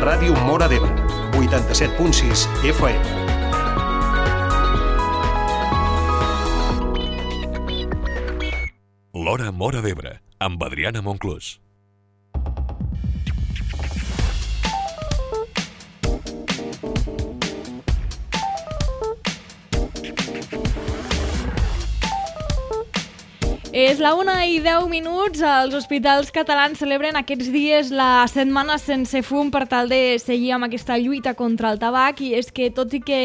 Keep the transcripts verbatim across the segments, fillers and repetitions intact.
Ràdio Móra d'Ebre, vuitanta-set punt sis F M. L'Hora Móra d'Ebre, amb Adriana Monclús. És la una i deu minuts. Els hospitals catalans celebren aquests dies la setmana sense fum per tal de seguir amb aquesta lluita contra el tabac, i és que tot i que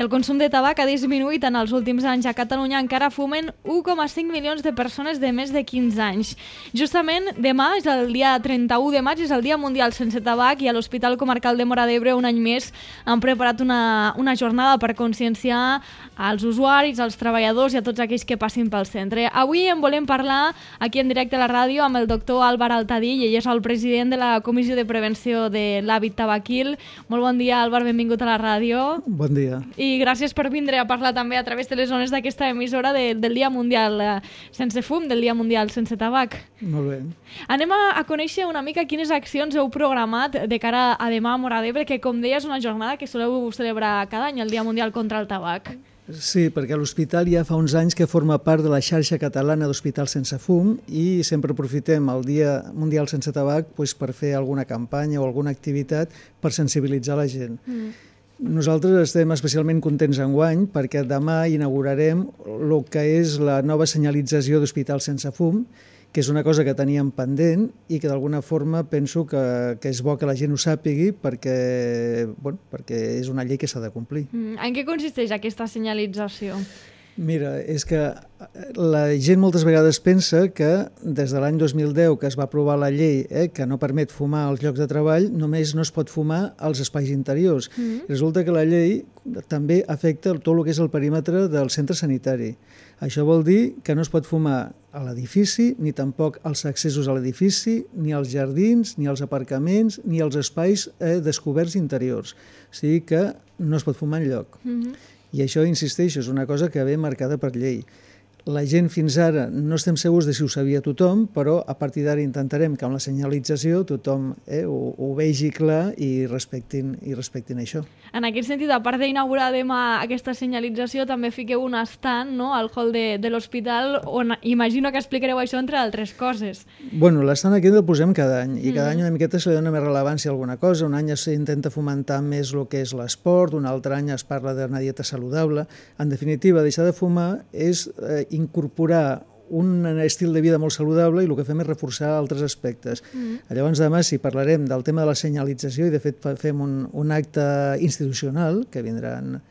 el consum de tabac ha disminuït en els últims anys a Catalunya, encara fumen u coma cinc milions de persones de més de quinze anys. Justament demà, és el dia trenta-u de maig, és el Dia Mundial Sense Tabac, i a l'Hospital Comarcal de Móra d'Ebre un any més han preparat una, una jornada per conscienciar als usuaris, als treballadors i a tots aquells que passin pel centre. Avui en volem parlar aquí en directe a la ràdio amb el doctor Álvar Altadill. Ell és el president de la Comissió de Prevenció de l'Hàbit Tabaquil. Molt bon dia, Álvar, benvingut a la ràdio. Bon dia. I gràcies per vindre a parlar també a través de les zones d'aquesta emissora de, del Dia Mundial Sense Fum, del Dia Mundial Sense Tabac. Molt bé. Anem a, a conèixer una mica quines accions heu programat de cara a demà a Móra d'Ebre, que com deia és una jornada que soleu celebrar cada any, el Dia Mundial contra el Tabac. Sí, perquè l'hospital ja fa uns anys que forma part de la xarxa catalana d'hospitals sense fum i sempre aprofitem el Dia Mundial Sense Tabac doncs, per fer alguna campanya o alguna activitat per sensibilitzar la gent. Mm. Nosaltres estem especialment contents enguany perquè demà inaugurarem el que és la nova senyalització d'hospitals sense fum, que és una cosa que teníem pendent i que d'alguna forma penso que, que és bo que la gent ho sàpigui perquè, bueno, perquè és una llei que s'ha de complir. Mm. En què consisteix aquesta senyalització? Mira, és que la gent moltes vegades pensa que des de l'any dos mil deu que es va aprovar la llei eh, que no permet fumar als llocs de treball, només no es pot fumar als espais interiors. Mm. Resulta que la llei també afecta tot el que és el perímetre del centre sanitari. Això vol dir que no es pot fumar a l'edifici, ni tampoc als accessos a l'edifici, ni als jardins, ni als aparcaments, ni als espais eh, descoberts interiors. O sigui que no es pot fumar enlloc. Mm-hmm. I això, insisteixo, és una cosa que ve marcada per llei. La gent fins ara no estem segurs de si ho sabia tothom, però a partir d'ara intentarem que amb la senyalització tothom eh, ho, ho vegi clar i respectin, i respectin això. En aquest sentit, a part d'inaugurar demà aquesta senyalització, també fiqueu un estand, no?, al hall de, de l'hospital, on imagino que explicareu això entre altres coses. Bueno, l'estant aquest el posem cada any, i cada mm. any una miqueta se li dona més rellevància a alguna cosa. Un any s'intenta fomentar més el que és l'esport, un altre any es parla d'una dieta saludable. En definitiva, deixar de fumar és eh, incorporar un estil de vida molt saludable i el que fem és reforçar altres aspectes. Mm. Llavors demà sí parlarem del tema de la senyalització i de fet fem un, un acte institucional que vindran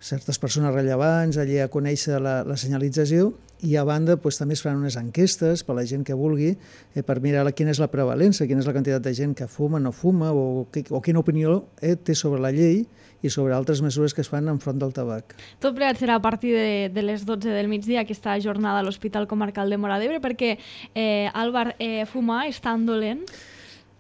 certes persones rellevants allí a conèixer la, la senyalització i a banda doncs, també es faran unes enquestes per a la gent que vulgui eh, per mirar quina és la prevalença, quina és la quantitat de gent que fuma, no fuma o, o quina opinió eh, té sobre la llei i sobre altres mesures que es fan enfront del tabac. Tot plegat serà a partir de, de les dotze del migdia aquesta jornada a l'Hospital Comarcal de Móra d'Ebre, perquè, eh, Álvar, eh, fumar és tan dolent?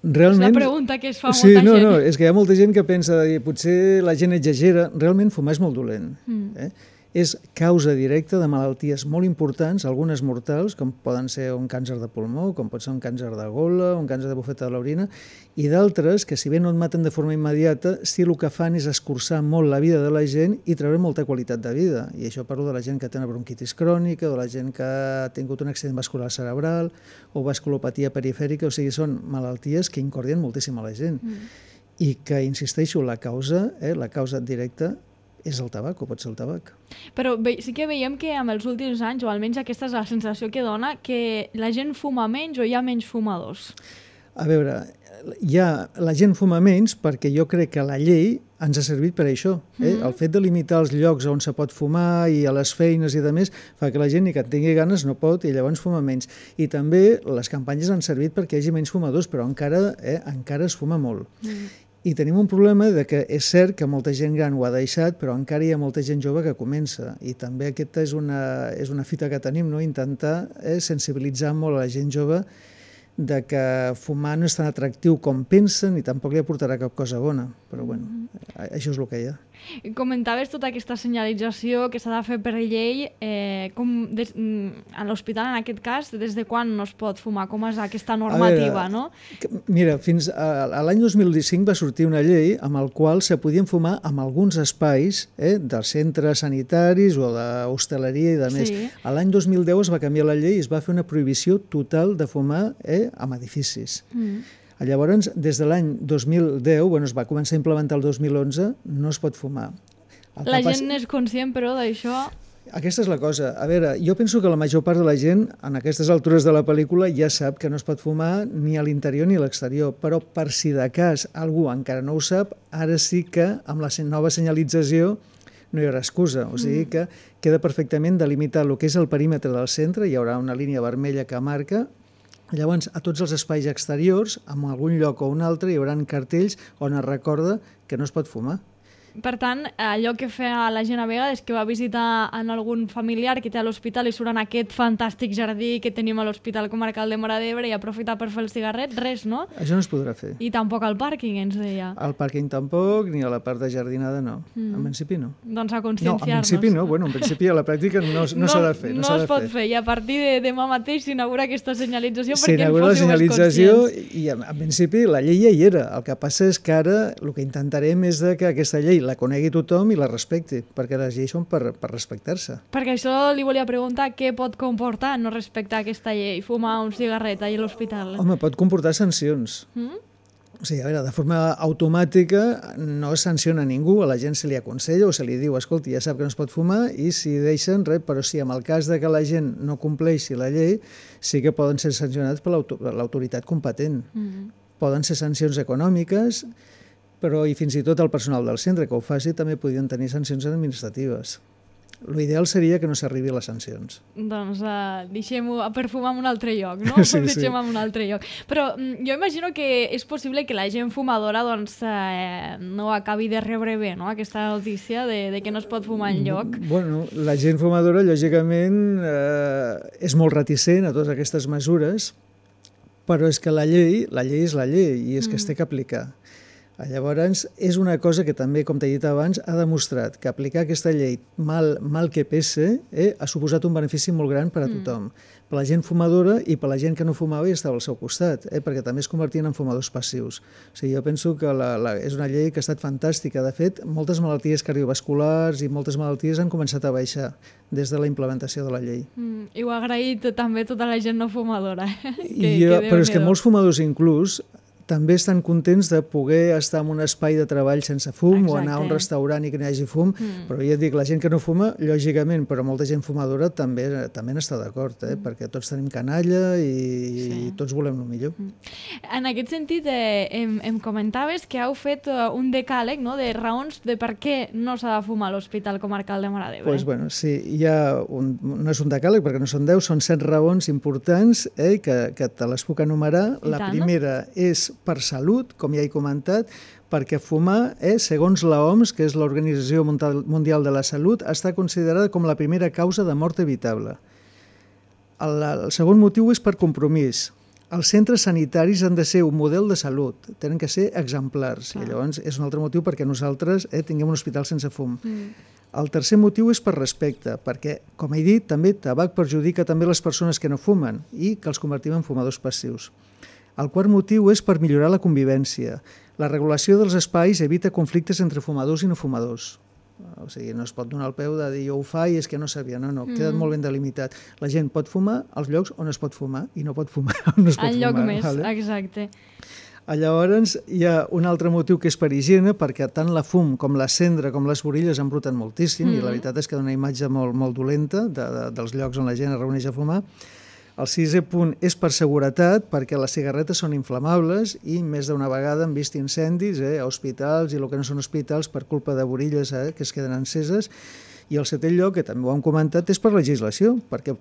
Realment, és la pregunta que es fa sí, molta no, gent. No, és que hi ha molta gent que pensa que potser la gent exagera. Realment fumar és molt dolent. Mm. Eh? És causa directa de malalties molt importants, algunes mortals, com poden ser un càncer de pulmó, com pot ser un càncer de gola, un càncer de bufeta de l'orina, i d'altres que, si bé no et maten de forma immediata, sí el que fan és escurçar molt la vida de la gent i treure molta qualitat de vida. I això parlo de la gent que té una bronquitis crònica, o de la gent que ha tingut un accident vascular cerebral, o vasculopatia perifèrica, o sigui, són malalties que incordien moltíssim a la gent. Mm. I que, insisteixo, la causa, eh, la causa directa, és el tabac, o pot ser el tabac. Però ve, sí que veiem que amb els últims anys, o almenys aquesta és la sensació que dona, que la gent fuma menys o hi ha menys fumadors. A veure, ja, la gent fuma menys perquè jo crec que la llei ens ha servit per això. Eh? Mm-hmm. El fet de limitar els llocs on se pot fumar i a les feines i de més fa que la gent, ni que en tingui ganes, no pot i llavors fuma menys. I també les campanyes han servit perquè hi hagi menys fumadors, però encara, eh, encara es fuma molt. Mm-hmm. I tenim un problema de que és cert que molta gent gran ho ha deixat, però encara hi ha molta gent jove que comença. I també aquesta és una, és una fita que tenim, no? Intentar eh, sensibilitzar molt a la gent jove de que fumar no és tan atractiu com pensen i tampoc li aportarà cap cosa bona. Però bueno, això és el que hi ha. Comentaves tota aquesta senyalització que s'ha de fer per llei, eh, com des, a l'hospital, en aquest cas, des de quan no es pot fumar? Com és aquesta normativa, veure, no? Mira, fins a, a l'any dos mil cinc va sortir una llei amb el qual se podien fumar en alguns espais eh, dels centres sanitaris o d'hostaleria i de més. Sí. A l'any dos mil deu es va canviar la llei i es va fer una prohibició total de fumar eh, en edificis. Mm. Llavors, des de l'any dos mil deu, bueno, es va començar a implementar el dos mil onze, no es pot fumar. El la gent pas... n'és conscient, però, d'això... Aquesta és la cosa. A veure, jo penso que la major part de la gent, en aquestes altures de la pel·lícula, ja sap que no es pot fumar ni a l'interior ni a l'exterior, però per si de cas algú encara no ho sap, ara sí que amb la nova senyalització no hi haurà excusa. O sigui que queda perfectament delimitat el que és el perímetre del centre, hi haurà una línia vermella que marca. Llavors, a tots els espais exteriors, en algun lloc o un altre, hi haurà cartells on es recorda que no es pot fumar. Per tant, allò que fa la gent a vegades que va visitar en algun familiar que té a l'hospital i surt en aquest fantàstic jardí que tenim a l'Hospital Comarcal de Móra d'Ebre i aprofita per fer el cigarret, res, no? Això no es podrà fer. I tampoc al pàrquing, ens deia. Al pàrquing tampoc, ni a la part de jardinada no. Mm. En principi no. Doncs a No, conscienciar-nos. en principi no. Bueno, en principi a la pràctica no, no, no s'ha de fer. No, no es pot fer. fer. I a partir de demà mateix s'inaugura aquesta senyalització perquè en la fóssiu senyalització conscients. I en, en principi la llei ja hi era. El que passa és que ara el que intentarem és de que aquesta llei la conegui tothom i la respecti, perquè les lleis són per, per respectar-se. Perquè això li volia preguntar què pot comportar no respectar aquesta llei, fumar un cigarret allà a l'hospital. Home, pot comportar sancions. Mm? O sigui, a veure, de forma automàtica no es sanciona ningú, a la gent se li aconsella o se li diu, escolti, ja sap que no es pot fumar i si deixen res, però sí, en el cas de que la gent no compleixi la llei, sí que poden ser sancionats per l'autoritat competent. Mm. Poden ser sancions econòmiques, però i fins i tot el personal del centre que ho faci també podien tenir sancions administratives. L'ideal seria que no s'arribi a les sancions. Doncs uh, deixem-ho per fumar en un altre lloc, no? Sí, deixem sí. en un altre lloc. Però mm, jo imagino que és possible que la gent fumadora doncs, eh, no acabi de rebre bé, no? Aquesta notícia de, de que no es pot fumar enlloc. Bueno, la gent fumadora, lògicament, eh, és molt reticent a totes aquestes mesures, però és que la llei, la llei és la llei i és que mm. es té que aplicar. Llavors, és una cosa que també, com t'he dit abans, ha demostrat que aplicar aquesta llei, mal, mal que pese, eh, ha suposat un benefici molt gran per a tothom. Mm. Per la gent fumadora i per la gent que no fumava i estava al seu costat, eh, perquè també es convertien en fumadors passius. O sigui, jo penso que la, la, és una llei que ha estat fantàstica. De fet, moltes malalties cardiovasculars i moltes malalties han començat a baixar des de la implementació de la llei. Mm, I ho ha agraït també tota la gent no fumadora. que, jo, que però és que molts fumadors inclús també estan contents de poder estar en un espai de treball sense fum. Exacte. O anar a un restaurant i que no hi hagi fum, mm. però ja et dic, la gent que no fuma, lògicament, però molta gent fumadora també també n'està d'acord, eh? mm. perquè tots tenim canalla i, sí. i tots volem el millor. Mm. En aquest sentit, eh, em, em comentaves que heu fet uh, un decàleg, no?, de raons de per què no s'ha de fumar a l'Hospital Comarcal de Móra d'Ebre. Pues, bueno, sí, hi ha un, no és un decàleg perquè no són deu, són set raons importants eh, que, que te les puc enumerar. I la tant, primera no? és per salut, com ja he comentat, perquè fumar, eh, segons l'O M S, que és l'Organització Mundial de la Salut, està considerada com la primera causa de mort evitable. El, el segon motiu és per compromís. Els centres sanitaris han de ser un model de salut, tenen que ser exemplars. Ah. I llavors és un altre motiu perquè nosaltres eh, tinguem un hospital sense fum. Mm. El tercer motiu és per respecte, perquè, com he dit, també tabac perjudica també les persones que no fumen i que els convertim en fumadors passius. El quart motiu és per millorar la convivència. La regulació dels espais evita conflictes entre fumadors i no fumadors. O sigui, no es pot donar el peu de dir jo ho fa i és que no sabia. No, no, queda mm. molt ben delimitat. La gent pot fumar als llocs on es pot fumar i no pot fumar on no es pot al fumar. Al lloc més, vale? exacte. Llavors, hi ha un altre motiu que és per higiene, perquè tant la fum com la cendra com les borilles embruten moltíssim mm. i la veritat és que dona una imatge molt, molt dolenta de, de, dels llocs on la gent es reuneix a fumar. El sisè punt és per seguretat, perquè les cigarretes són inflamables i més d'una vegada han vist incendis eh, a hospitals i el que no són hospitals per culpa de borilles eh, que es queden enceses. I el setè lloc, que també ho hem comentat, és per legislació, perquè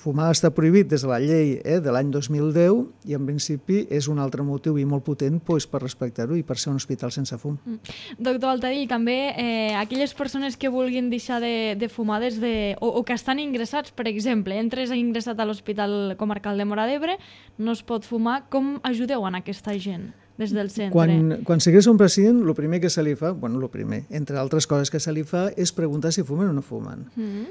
fumar està prohibit des de la llei eh, de l'any dos mil deu i en principi és un altre motiu i molt potent doncs, per respectar-ho i per ser un hospital sense fum. Mm. Doctor Altadill, també eh, aquelles persones que vulguin deixar de, de fumar des de, o, o que estan ingressats, per exemple, entres ingressat a l'Hospital Comarcal de Móra d'Ebre, no es pot fumar, com ajudeu a aquesta gent? des del centre. Quan, quan s'ingressa un pacient, el primer que se li fa, bueno, el primer, entre altres coses que se li fa, és preguntar si fumen o no fumen. Mm-hmm.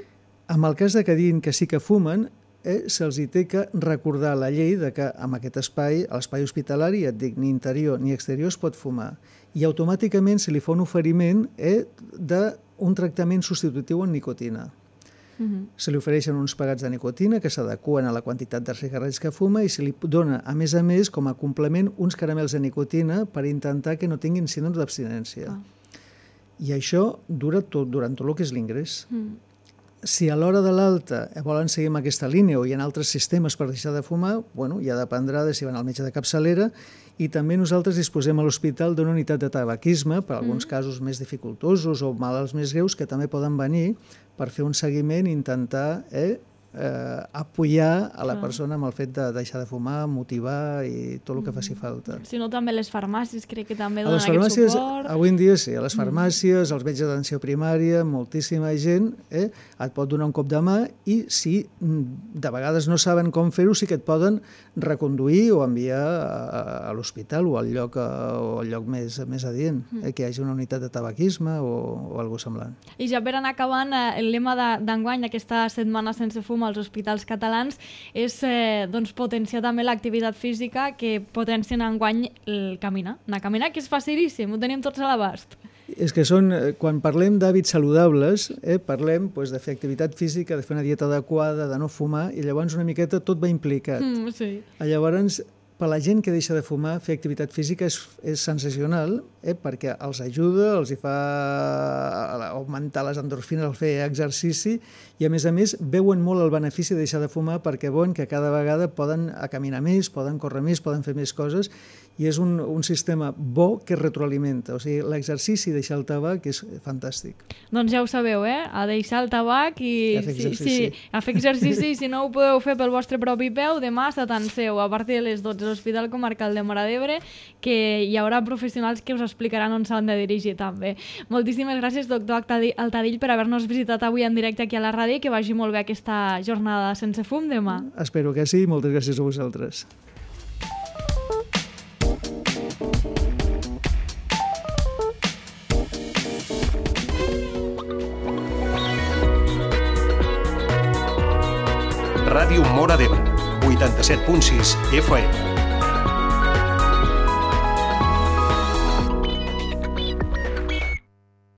En el cas de que diguin que sí que fumen, eh, se'ls hi té que recordar la llei de que en aquest espai, a l'espai hospitalari, et dic, ni interior ni exterior es pot fumar. I automàticament se li fa un oferiment eh, d'un tractament substitutiu en nicotina. Uh-huh. Se li ofereixen uns pegats de nicotina que s'adequen a la quantitat de cigarrets que fuma i se li dona, a més a més, com a complement, uns caramels de nicotina per intentar que no tinguin síndrome d'abstinència. Ah. I això dura tot, durant tot el que és l'ingrés. Uh-huh. Si a l'hora de l'alta volen seguir amb aquesta línia o hi ha altres sistemes per deixar de fumar, bueno, ja dependrà de si van al metge de capçalera, i també nosaltres disposem a l'hospital d'una unitat de tabaquisme per a alguns mm. casos més dificultosos o malalts més greus que també poden venir per fer un seguiment i intentar eh, eh, apoyar a la ah. persona amb el fet de deixar de fumar, motivar i tot el que faci falta. Si no, també les farmàcies crec que també donen aquest suport. Avui en dia sí, a les farmàcies, als metges d'atenció primària, moltíssima gent eh, et pot donar un cop de mà i si de vegades no saben com fer-ho, sí que et poden reconduir o enviar a, a l'hospital o al lloc, o al lloc més, més adient, eh, que hi hagi una unitat de tabaquisme o, o alguna cosa semblant. I ja per anar acabant, eh, el lema d'enguany d'aquesta setmana sense fum als hospitals catalans és eh, doncs, potenciar també l'activitat física que potencien enguany el caminar. Anar a caminar, que és facilíssim, ho tenim tots a l'abast. És que són, quan parlem d'hàbits saludables, eh, parlem pues, de fer activitat física, de fer una dieta adequada, de no fumar, i llavors una miqueta tot va implicat. Mm, sí. Llavors, per la gent que deixa de fumar, fer activitat física és, és sensacional, eh, perquè els ajuda, els hi fa augmentar les endorfines al fer exercici i, a més a més, veuen molt el benefici de deixar de fumar perquè veuen que cada vegada poden caminar més, poden córrer més, poden fer més coses i és un, un sistema bo que retroalimenta. O sigui, l'exercici i deixar el tabac és fantàstic. Doncs ja ho sabeu, eh? A deixar el tabac i, I a fer exercici. Sí, sí, a fer exercici i si no ho podeu fer pel vostre propi peu, demà s'atanseu a partir de les dotze a l'Hospital Comarcal de Móra d'Ebre, que hi haurà professionals que us explicaran on s'han de dirigir també. Moltíssimes gràcies, doctor Altadill, per haver-nos visitat avui en directe aquí a la ràdio i que vagi molt bé aquesta jornada sense fum demà. Espero que sí, moltes gràcies a vosaltres. Ràdio Móra d'Ebre, vuitanta-set punt sis F M.